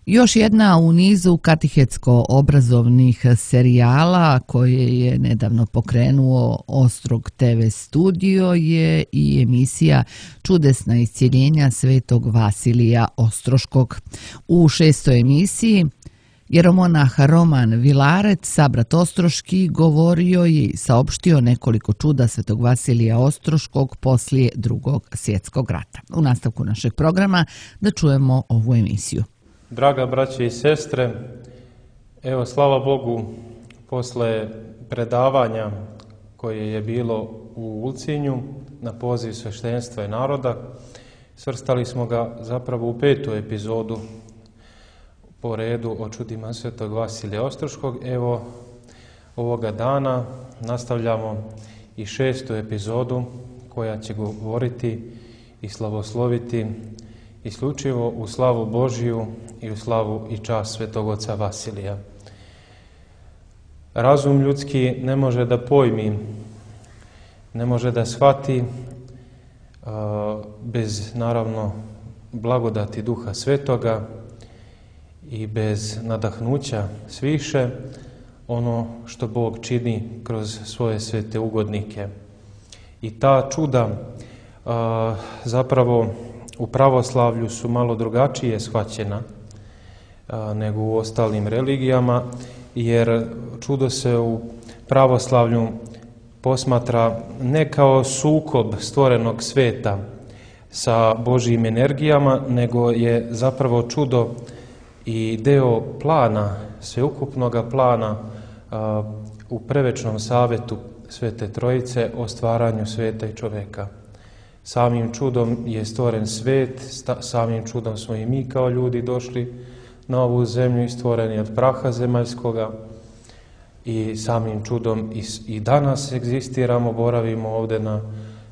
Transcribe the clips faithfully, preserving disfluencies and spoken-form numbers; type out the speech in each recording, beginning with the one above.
Još jedna u nizu katehetsko-obrazovnih serijala koje je nedavno pokrenuo Ostrog te ve studio je i emisija Čudesna iscjeljenja svetog Vasilija Ostroškog. U šestoj emisiji jeromonah Roman Vilarec, sabrat Ostroški, govorio je i saopštio nekoliko čuda svetog Vasilija Ostroškog poslije Drugog svjetskog rata. U nastavku našeg programa da čujemo ovu emisiju. Draga braće i sestre, evo slava Bogu, posle predavanja koje je bilo u Ulcinju na poziv sveštenstva i naroda, svrstali smo ga zapravo u petu epizodu po redu o čudima svetog Vasilija Ostroškog. Evo ovoga dana nastavljamo i šestu epizodu koja će govoriti i slavosloviti isključivo u slavu Božiju i u slavu i čast svetog oca Vasilija. Razum ljudski ne može da pojmi, ne može da shvati a, bez naravno blagodati Duha Svetoga i bez nadahnuća sviše ono što Bog čini kroz svoje svete ugodnike. I ta čuda a, zapravo u pravoslavlju su malo drugačije shvaćena a, nego u ostalim religijama, jer čudo se u pravoslavlju posmatra ne kao sukob stvorenog sveta sa Božjim energijama, nego je zapravo čudo i deo plana, sveukupnog plana a, u prevečnom savetu Svete Trojice o stvaranju sveta i čoveka. Samim čudom je stvoren svet, samim čudom smo i mi kao ljudi došli na ovu zemlju i stvoreni od praha zemaljskoga i samim čudom i, i danas egzistiramo, boravimo ovdje na,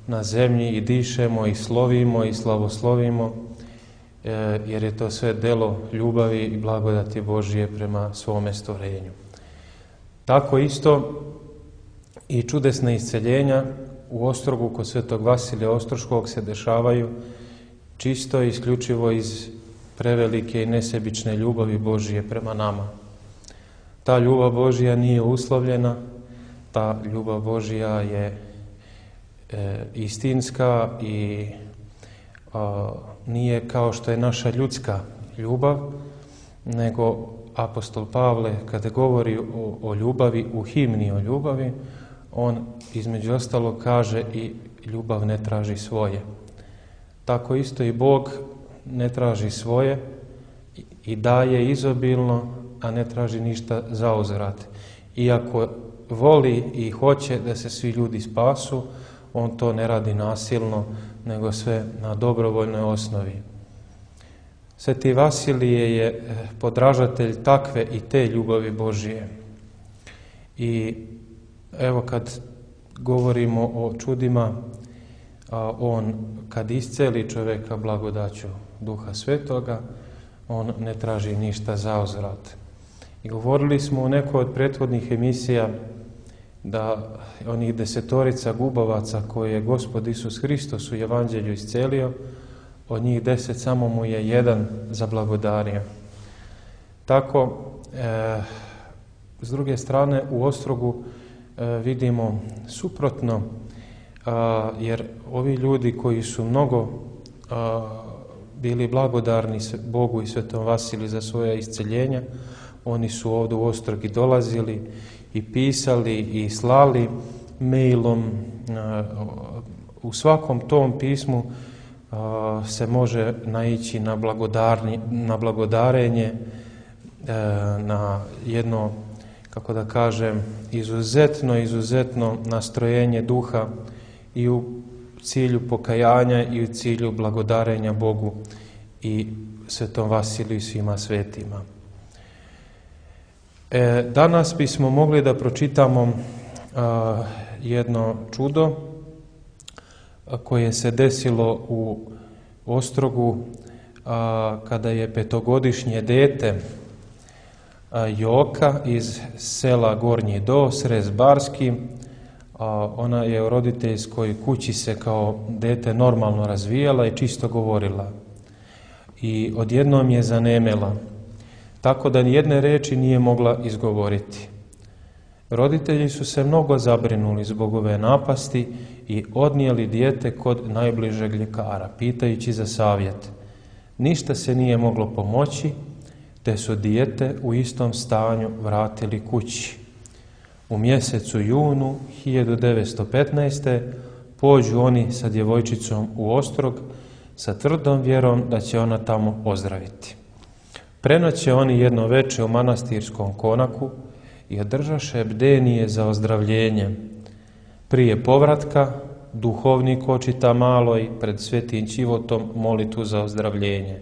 na zemlji i dišemo i slovimo i slavoslovimo, e, jer je to sve delo ljubavi i blagodati Božije prema svome stvorenju. Tako isto i čudesna isceljenja u Ostrogu kod svetog Vasilija Ostroškog se dešavaju čisto i isključivo iz prevelike i nesebične ljubavi Božije prema nama. Ta ljubav Božija nije uslovljena, ta ljubav Božija je e, istinska i a, nije kao što je naša ljudska ljubav, nego apostol Pavle kada govori o, o ljubavi, u himni o ljubavi, on između ostalog kaže i ljubav ne traži svoje. Tako isto i Bog ne traži svoje i daje izobilno, a ne traži ništa zauzvrat. Iako voli i hoće da se svi ljudi spasu, on to ne radi nasilno, nego sve na dobrovoljnoj osnovi. Sveti Vasilije je podražatelj takve i te ljubavi Božije. I evo kad govorimo o čudima, a on kad isceli čovjeka blagodaću Duha Svetoga, on ne traži ništa zauzvrat. I govorili smo u nekoj od prethodnih emisija da onih desetorica gubavaca koje je Gospod Isus Hristos u Evanđelju iscelio, od njih deset samo mu je jedan zablagodario. Tako, e, s druge strane, u Ostrogu e, vidimo suprotno, a, jer ovi ljudi koji su mnogo a, bili blagodarni Bogu i Svetom Vasiliju za svoje isceljenja, oni su ovdje u Ostrog i dolazili i pisali i slali mailom. U svakom tom pismu se može naići na, na blagodarenje, na jedno, kako da kažem, izuzetno, izuzetno nastrojenje duha i u cilju pokajanja i u cilju blagodarenja Bogu i Svetom Vasiliju i svima svetima. E, danas bismo mogli da pročitamo a, jedno čudo a, koje se desilo u Ostrogu a, kada je petogodišnje dete a, Joka iz sela Gornji Do, Srez Barski, a, ona je u roditeljskoj kući se kao dete normalno razvijala i čisto govorila. I odjednom je zanemela. tako da nijedne riječi nije mogla izgovoriti. Roditelji su se mnogo zabrinuli zbog ove napasti i odnijeli dijete kod najbližeg ljekara, pitajući za savjet. Ništa se nije moglo pomoći, te su dijete u istom stanju vratili kući. U mjesecu junu hiljadu devetsto petnaeste. pođu oni sa djevojčicom u Ostrog sa tvrdom vjerom da će ona tamo ozdraviti. Prenoće oni jedno veče u manastirskom konaku i održaše bdenije za ozdravljenje. Prije povratka duhovnik očita maloj pred svetim Čivotom molitvu za ozdravljenje.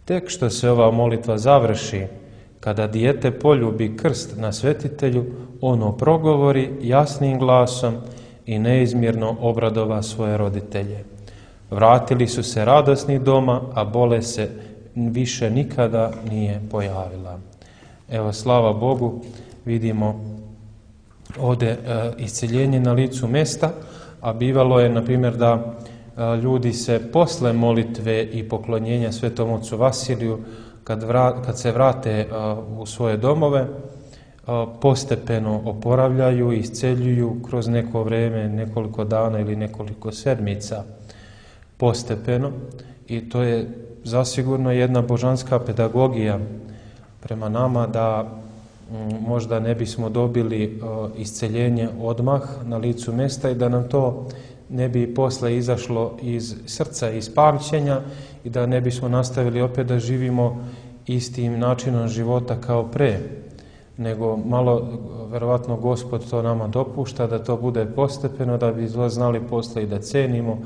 Tek što se ova molitva završi, kada dijete poljubi krst na svetitelju, ono progovori jasnim glasom i neizmjerno obradova svoje roditelje. Vratili su se radosni doma, a bolest se više nikada nije pojavila. Evo, slava Bogu, vidimo ovdje e, isceljenje na licu mjesta, a bivalo je, na primjer, da e, ljudi se posle molitve i poklonjenja Svetom ocu Vasiliju, kad, vra, kad se vrate e, u svoje domove, e, postepeno oporavljaju i isceljuju kroz neko vrijeme, nekoliko dana ili nekoliko sedmica, postepeno, i to je zasigurno jedna božanska pedagogija prema nama, da možda ne bismo dobili isceljenje odmah na licu mjesta i da nam to ne bi posle izašlo iz srca, iz pamćenja, i da ne bismo nastavili opet da živimo istim načinom života kao pre, nego malo, verovatno, Gospod to nama dopušta da to bude postepeno, da bi znali posle i da cenimo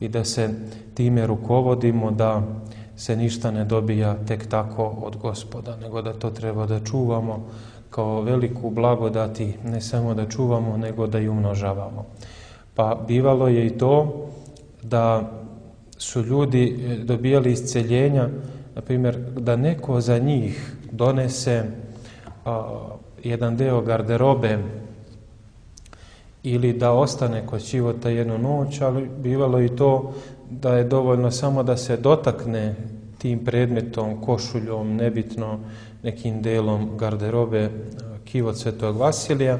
i da se time rukovodimo, da se ništa ne dobija tek tako od Gospoda, nego da to treba da čuvamo kao veliku blagodati, ne samo da čuvamo, nego da i umnožavamo. Pa bivalo je i to da su ljudi dobijali isceljenja, na primjer, da neko za njih donese a, jedan deo garderobe ili da ostane kod Čivota jednu noć, ali bivalo i to da je dovoljno samo da se dotakne tim predmetom, košuljom, nebitno nekim delom garderobe kivot Svetog Vasilija,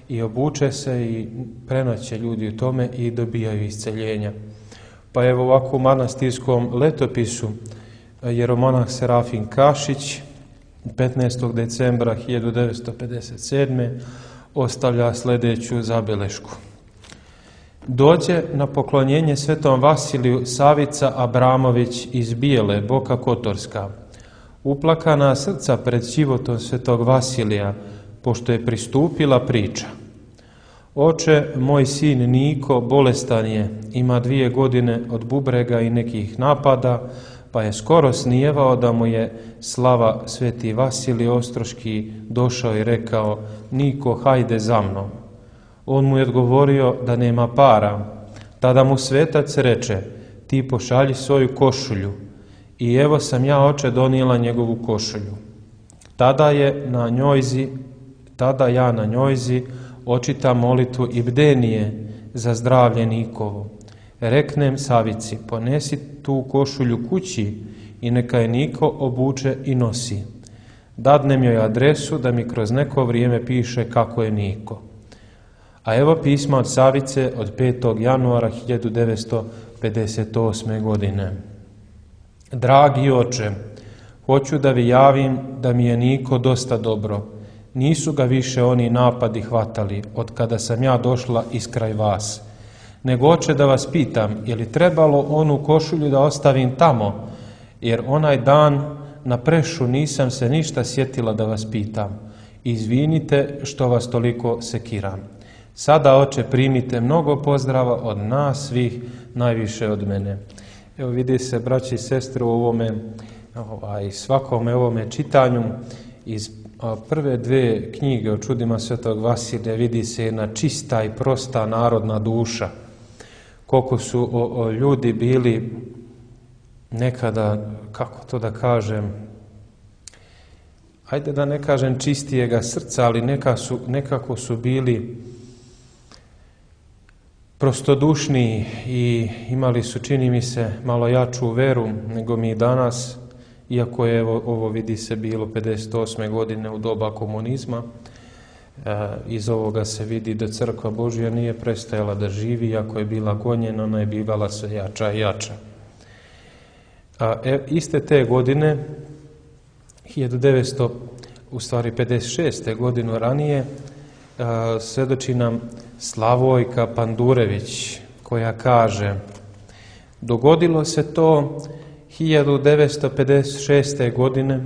i obuče se i prenoće ljudi u tome i dobijaju isceljenja. Pa evo ovako u manastirskom letopisu jeromonah Serafin Kašić petnaestog decembra hiljadu devetsto pedeset sedme. ostavlja sljedeću zabelešku. Dođe na poklonjenje Svetom Vasiliju Savica Abramović iz Bijele, Boka Kotorska. Uplakana srca pred Čivotom Svetog Vasilija, pošto je pristupila priča. Oče, moj sin Niko bolestan je, ima dvije godine od bubrega i nekih napada, pa je skoro snijevao da mu je slava Sveti Vasilij Ostroški došao i rekao: Niko, hajde za mnom. On mu je odgovorio da nema para. Tada mu svetac reče: ti pošalji svoju košulju. I evo sam ja, oče, donijela njegovu košulju. Tada je na njojzi, tada ja na njojzi očitam molitvu i bdenije za zdravlje Nikovo. Reknem Savici: ponesi tu košulju kući i neka je Niko obuče i nosi. Dadnem joj adresu da mi kroz neko vrijeme piše kako je Niko. A evo pisma od Savice od petog januara hiljadu devetsto pedeset osme. godine. Dragi oče, hoću da vi javim da mi je Niko dosta dobro. Nisu ga više oni napadi hvatali od kada sam ja došla iskraj vas. Nego, oče, da vas pitam, je li trebalo onu košulju da ostavim tamo, jer onaj dan na prešu nisam se ništa sjetila da vas pitam. Izvinite što vas toliko sekiram. Sada, oče, primite mnogo pozdrava od nas svih, najviše od mene. Evo, vidi se, braći i sestre, u ovome, ovaj, svakome ovome čitanju iz a, prve dve knjige o čudima Svetog Vasilija vidi se jedna čista i prosta narodna duša. Koliko su o, o, ljudi bili nekada, kako to da kažem, ajde da ne kažem čistijega srca, ali neka su, nekako su bili prostodušniji i imali su, čini mi se, malo jaču veru nego mi danas, iako je ovo, ovo vidi se bilo pedeset osme godine u doba komunizma. E, iz ovoga se vidi da crkva Božja nije prestajala da živi, iako je bila gonjena, ona je bivala sve jača i jača. A, e, iste te godine, hiljadu devetsto, u stvari pedeset šeste godinu ranije, a, svedoči nam Slavojka Pandurević, koja kaže: dogodilo se to hiljadu devetsto pedeset šeste. godine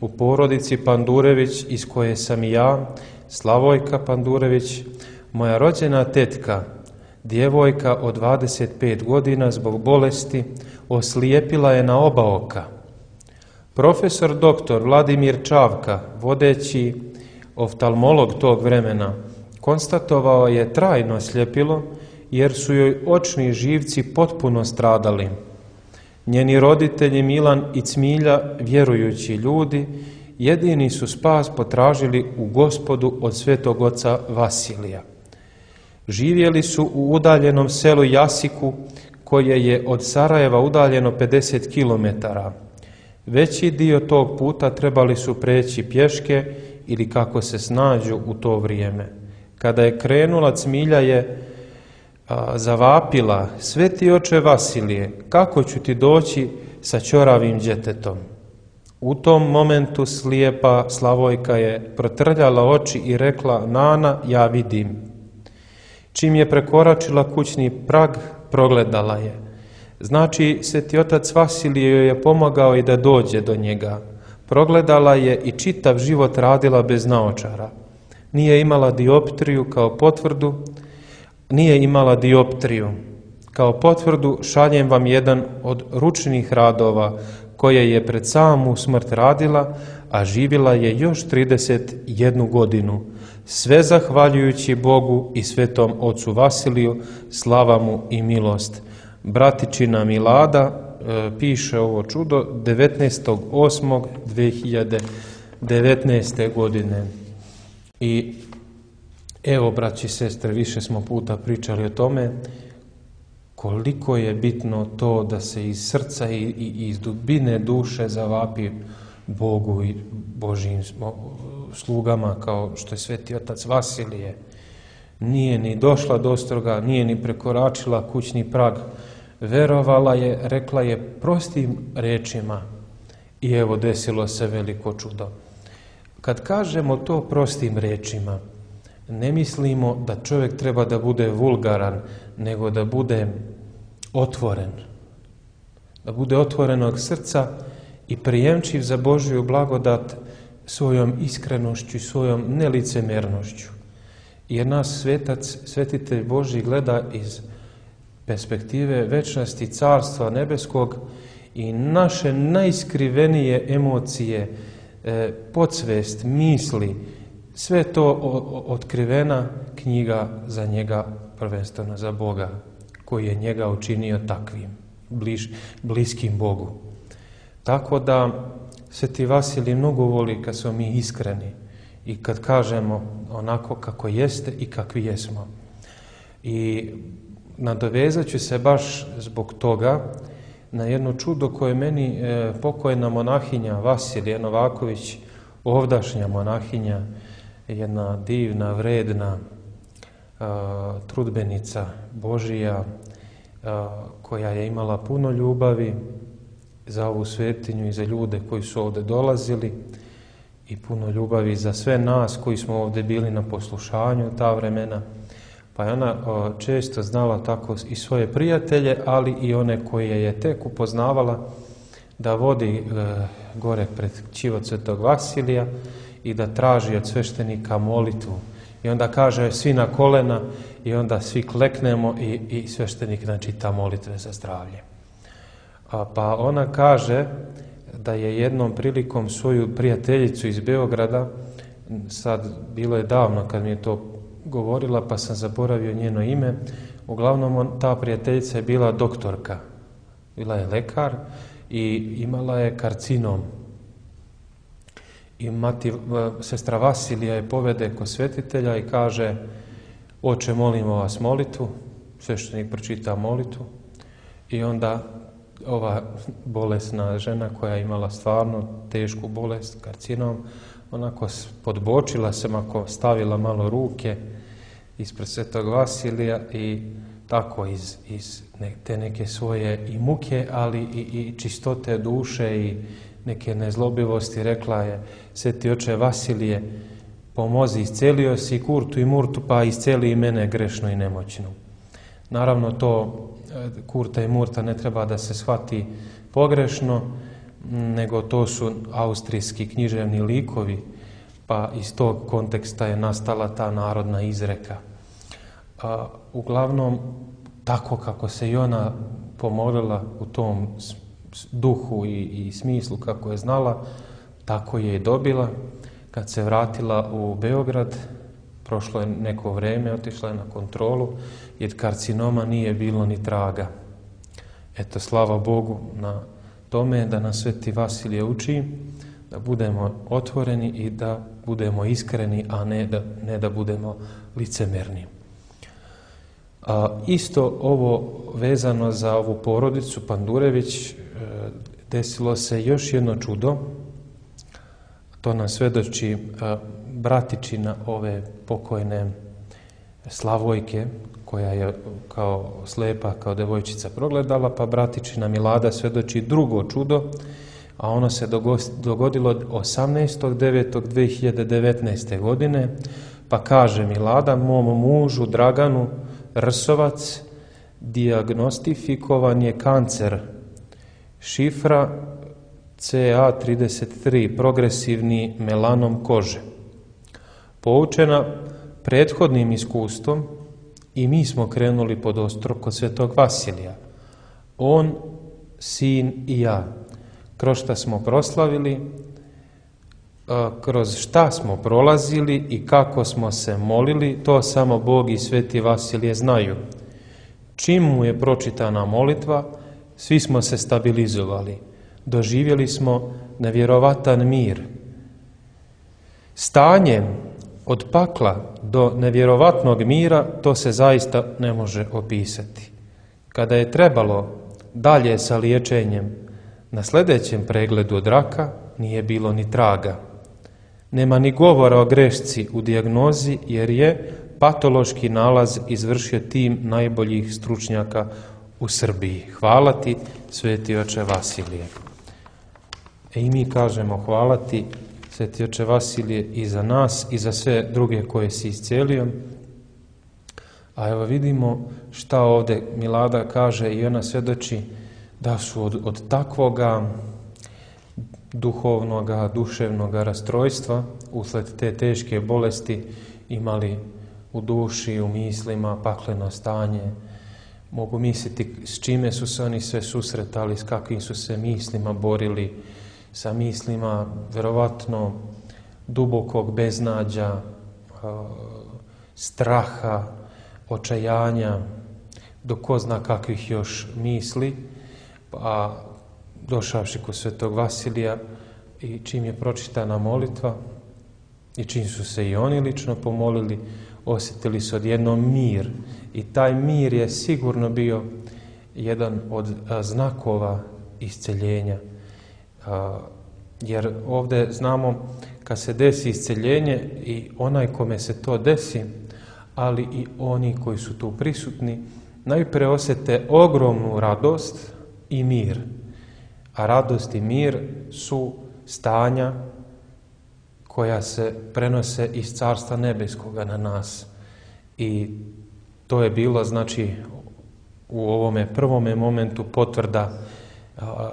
u porodici Pandurević, iz koje sam i ja, Slavojka Pandurević, moja rođena tetka, djevojka od dvadeset pet godina, zbog bolesti oslijepila je na oba oka. Profesor doktor Vladimir Čavka, vodeći oftalmolog tog vremena, konstatovao je trajno sljepilo, jer su joj očni živci potpuno stradali. Njeni roditelji Milan i Cmilja, vjerujući ljudi, jedini su spas potražili u Gospodu od svetog oca Vasilija. Živjeli su u udaljenom selu Jasiku, koje je od Sarajeva udaljeno pedeset kilometara. Veći dio tog puta trebali su preći pješke ili kako se snađu u to vrijeme. Kada je krenula, Cmilja je a, zavapila: sveti oče Vasilije, kako ću ti doći sa ćoravim djetetom? U tom momentu slijepa Slavojka je protrljala oči i rekla: Nana, ja vidim. Čim je prekoračila kućni prag, progledala je. Znači, sveti otac Vasilije joj je pomagao i da dođe do njega. Progledala je i čitav život radila bez naočara. Nije imala dioptriju kao potvrdu, nije imala dioptriju. Kao potvrdu šaljem vam jedan od ručnih radova koje je pred samu smrt radila, a živjela je još trideset jednu godinu. Sve zahvaljujući Bogu i svetom ocu Vasiliju, slava mu i milost. Bratičina Milada e, piše ovo čudo devetnaestog osmog dve hiljade devetnaeste. godine. I evo, braći i sestre, više smo puta pričali o tome koliko je bitno to da se iz srca i, i iz dubine duše zavapi Bogu i Božjim slugama, kao što je sveti otac Vasilije. Nije ni došla do ostroga, nije ni prekoračila kućni prag. Verovala je, rekla je prostim rečima i evo desilo se veliko čudo. Kad kažemo to prostim rečima, ne mislimo da čovjek treba da bude vulgaran, nego da bude otvoren. Da bude otvorenog srca i prijemčiv za Božju blagodat svojom iskrenošću i svojom nelicemernošću. Jer nas svetac, svetitelj Božji gleda iz perspektive večnosti carstva nebeskog i naše najskrivenije emocije, e, podsvest, misli, sve to otkrivena knjiga za njega, prvenstveno za Boga, koji je njega učinio takvim, bliž, bliskim Bogu. Tako da sveti Vasilij mnogo voli kad smo mi iskreni i kad kažemo onako kako jeste i kakvi jesmo. I nadovezat ću se baš zbog toga na jedno čudo koje meni e, pokojna monahinja Vasilija Novaković, ovdašnja monahinja, jedna divna, vredna a, trudbenica Božija, a, koja je imala puno ljubavi za ovu svetinju i za ljude koji su ovdje dolazili i puno ljubavi za sve nas koji smo ovdje bili na poslušanju ta vremena. Pa je ona a, često znala tako i svoje prijatelje, ali i one koje je tek upoznavala, da vodi e, gore pred ćivo svetog Vasilija i da traži od sveštenika molitvu. I onda kaže svi na kolena i onda svi kleknemo i, i sveštenik načita molitve za zdravlje. A, pa ona kaže da je jednom prilikom svoju prijateljicu iz Beograda, sad bilo je davno kad mi je to govorila pa sam zaboravio njeno ime, uglavnom on, ta prijateljica je bila doktorka, bila je lekar i imala je karcinom. I mati, sestra Vasilija je povede kod svetitelja i kaže: oče, molimo vas molitvu. Sveštenik pročita molitvu i onda ova bolesna žena koja je imala stvarno tešku bolest, karcinom, onako podbočila se, ako stavila malo ruke ispred Svetog Vasilija i tako iz, iz te neke svoje i muke, ali i, i čistote duše i neke nezlobivosti rekla je: Sveti oče Vasilije, pomozi, iscelio si Kurtu i Murtu, pa isceli i mene grešnu i nemoćnu. Naravno, to Kurta i Murta ne treba da se shvati pogrešno, nego to su austrijski književni likovi, pa iz tog konteksta je nastala ta narodna izreka. A, uglavnom, tako kako se i ona pomolila u tom duhu i, i smislu kako je znala, tako je i dobila. Kad se vratila u Beograd, prošlo je neko vreme, otišla je na kontrolu, jer karcinoma nije bilo ni traga. Eto, slava Bogu na tome da nas Sveti Vasilije uči da budemo otvoreni i da budemo iskreni, a ne da, ne da budemo licemerni. A, isto ovo vezano za ovu porodicu Pandurević, e, desilo se još jedno čudo. To nas svedoči a, bratičina ove pokojne Slavojke, koja je kao slepa, kao devojčica progledala, pa bratičina Milada svedoči drugo čudo, a ono se dogodilo osamnaestog devetog dve hiljade devetnaeste. godine, pa kaže Milada: mom mužu Draganu Rsovac dijagnostifikovan je kancer, šifra C A trideset tri, progresivni melanom kože. Poučena prethodnim iskustvom, i mi smo krenuli pod ostrog kod Svetog Vasilija. On, sin i ja. Kroz šta smo proslavili, kroz šta smo prolazili i kako smo se molili, to samo Bog i Sveti Vasilije znaju. Čim mu je pročitana molitva, svi smo se stabilizovali. Doživjeli smo nevjerovatan mir. Stanje od pakla do nevjerovatnog mira, to se zaista ne može opisati. Kada je trebalo dalje sa liječenjem, na sljedećem pregledu od raka nije bilo ni traga. Nema ni govora o grešci u dijagnozi, jer je patološki nalaz izvršio tim najboljih stručnjaka u Srbiji. Hvala ti, Sveti oče Vasilije. E i mi kažemo hvala ti, Sveti oče Vasilije, i za nas i za sve druge koje si iscijelio. A evo vidimo šta ovdje Milada kaže, i ona svjedoči da su od, od takvoga duhovnoga, duševnoga rastrojstva usled te teške bolesti imali u duši, u mislima pakleno stanje. Mogu misliti s čime su se oni sve susretali, s kakvim su se mislima borili, sa mislima verovatno dubokog beznađa, straha, očajanja, do ko zna kakvih još misli, pa došavši kod Svetog Vasilija i čim je pročitana molitva i čim su se i oni lično pomolili, osjetili su odjednom mir, i taj mir je sigurno bio jedan od znakova isceljenja. Jer ovdje znamo, kad se desi isceljenje, i onaj kome se to desi, ali i oni koji su tu prisutni, najprije osjete ogromnu radost i mir. A radost i mir su stanja koja se prenose iz Carstva nebeskoga na nas. I to je bilo, znači, u ovome prvome momentu potvrda a,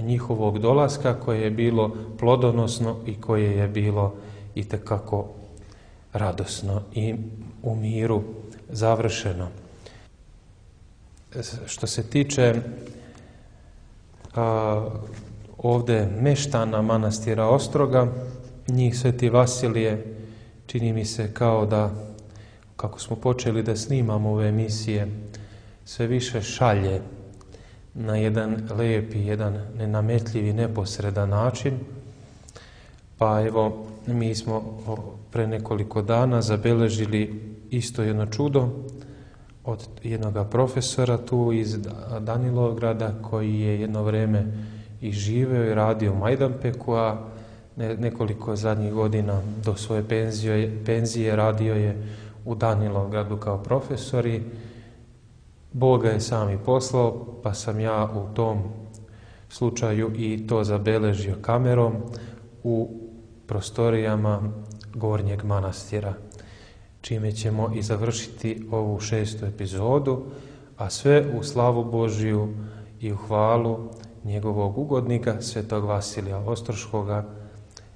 njihovog dolaska, koje je bilo plodonosno i koje je bilo itekako radosno i u miru završeno. Što se tiče a, ovdje meštana manastira Ostroga, njih Sveti Vasilije, čini mi se kao da, kako smo počeli da snimamo ove emisije, sve više šalje na jedan lijepi, jedan nenametljivi, neposredan način. Pa evo, mi smo pre nekoliko dana zabeležili isto jedno čudo, od jednog profesora tu iz Danilovgrada koji je jedno vrijeme i živeo i radio u Majdanpeku, a nekoliko zadnjih godina do svoje penzije, penzije radio je u Danilovgradu kao profesor i Bog ga je sam i poslao, pa sam ja u tom slučaju i to zabeležio kamerom u prostorijama Gornjeg manastira, čime ćemo i završiti ovu šestu epizodu, a sve u slavu Božiju i u hvalu njegovog ugodnika, svetog Vasilija Ostroškoga,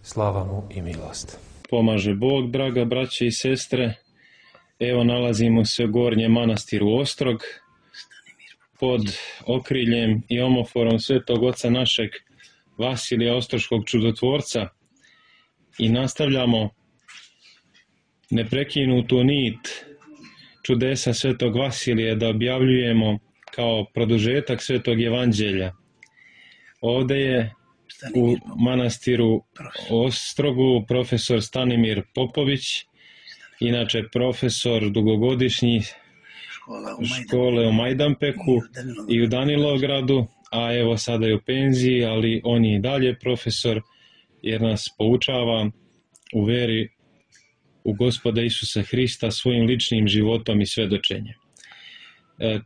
slava mu i milost. Pomaže Bog, draga braće i sestre. Evo nalazimo se u Gornjem manastiru Ostrog, pod okriljem i omoforom svetog oca našeg Vasilija Ostroškog čudotvorca i nastavljamo neprekinutu nit čudesa svetog Vasilija da objavljujemo kao produžetak svetog evanđelja. Ovdje je u manastiru Ostrogu profesor Stanimir Popović, inače profesor dugogodišnji škole u Majdanpeku i u Danilovgradu, a evo sada je u penziji, ali on je i dalje profesor jer nas poučava u veri u Gospoda Isusa Hrista svojim ličnim životom i svedočenjem.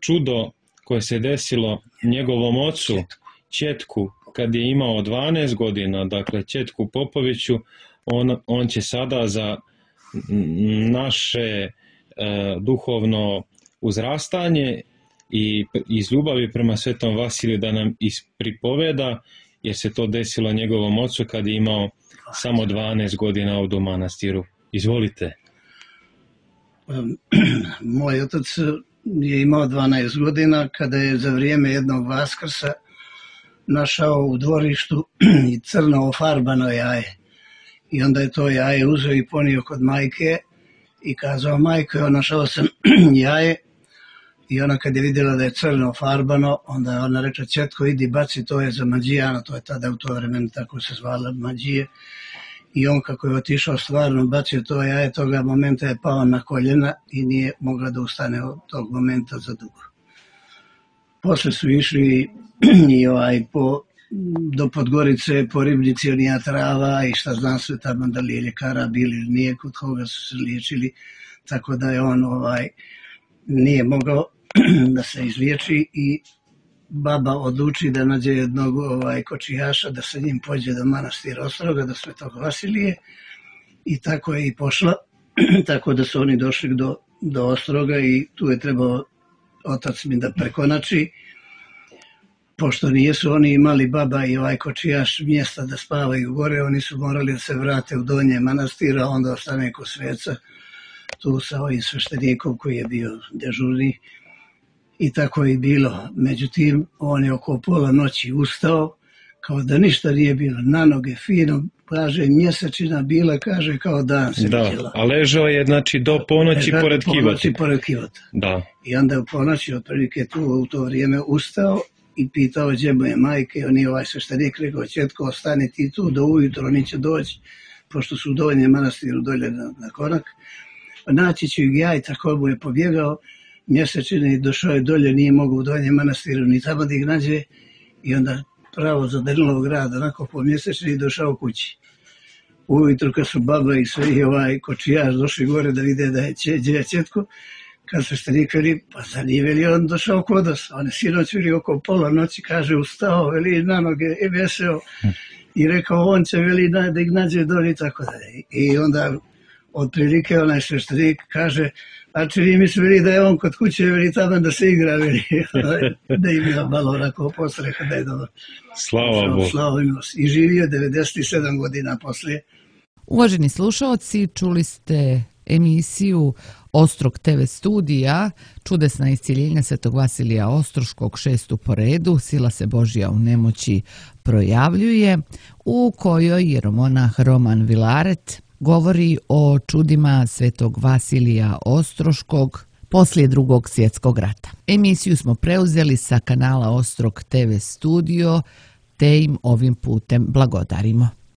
Čudo koje se desilo njegovom ocu, ćetku, kad je imao dvanaest godina, dakle ćetku Popoviću, on, on će sada za naše e, duhovno uzrastanje i iz ljubavi prema svetom Vasiliju da nam ispripoveda, jer se to desilo njegovom ocu kad je imao samo dvanaest godina ovdje u manastiru. Izvolite. Moj otac je imao dvanaest godina kada je za vrijeme jednog Vaskrsa našao u dvorištu i crno ofarbano jaje. I onda je to jaje uzeo i ponio kod majke i kazao: majko, ja našao sam jaje. I ona kad je vidjela da je crno ofarbano, onda ona reče: ćetko, idi baci, to je za mađijana, to je tada u to vremenu tako se zvala mađije. I on kako je otišao stvarno bacio to jaje, toga momenta je pao na koljena i nije mogla da ustane od tog momenta za dugo. Posle su išli i ovaj po, do Podgorice, po Ribnici, onija trava i šta znam sve tamo, da li je ljekara bili ili nije, kod koga su se liječili, tako da je on ovaj nije mogao da se izliječi i baba odluči da nađe jednog ovaj, kočijaša, da sa njim pođe do manastira Ostroga, do svetog Vasilije, i tako je i pošla, tako da su oni došli do, do Ostroga i tu je trebao otac mi da prekonači, pošto nijesu oni imali, baba i ovaj kočijaš, mjesta da spavaju gore, oni su morali da se vrate u donje manastira, onda ostane kod sveca, tu sa ovim sveštenikom koji je bio dežurni. I tako je bilo. Međutim, on je oko pola noći ustao, kao da ništa nije bilo, na noge fino, kaže, mjesečina bila, kaže, kao dan se da, vidjela. A ležao je, znači, do ponoći Ležao pored kivota. ponoći pored kivota. Da. I onda je u ponoći, otprilike tu u to vrijeme ustao i pitao gdje mu je majke, on je ovaj sveštenik rekao: ćetko, ostani ti tu, do ujutro oni će doći, pošto su u donjem manastiru dolje na, na korak. Naći ću ih ja, i tako mu je pobjegao mjesečine i došao je dolje, nije mogao u donjem manastiru ni tamo da ih nađe, i onda pravo za Danilovgrad, onako po mjesečini i došao kući. Ujutro kad su baba i sve i ovaj kočijaš došli gore da vide da je gdje je ćetko, kad su sveštenik veli: pa za nije veli on došao kod nas. On je sinoć veli oko pola noći, kaže, ustao, veli na noge i veseo i rekao on će veli da ih nađe dolje i tako dalje. I onda otprilike onaj sveštenik kaže: a čini mi se veli da je on kod kuće, veli tamo da se igra, veli, da im je malo onako posle, da je dobro. Slava Bogu. Slava im. I živio devedeset sedam godina poslije. Uvaženi slušaoci, čuli ste emisiju Ostrog te ve studija, čudesna iscjeljenja svetog Vasilija Ostroškog, šestu po redu, sila se Božja u nemoći projavljuje, u kojoj jeromonah Roman Vilaret govori o čudima svetog Vasilija Ostroškog poslije Drugog svjetskog rata. Emisiju smo preuzeli sa kanala Ostrog te ve studio, te im ovim putem blagodarimo.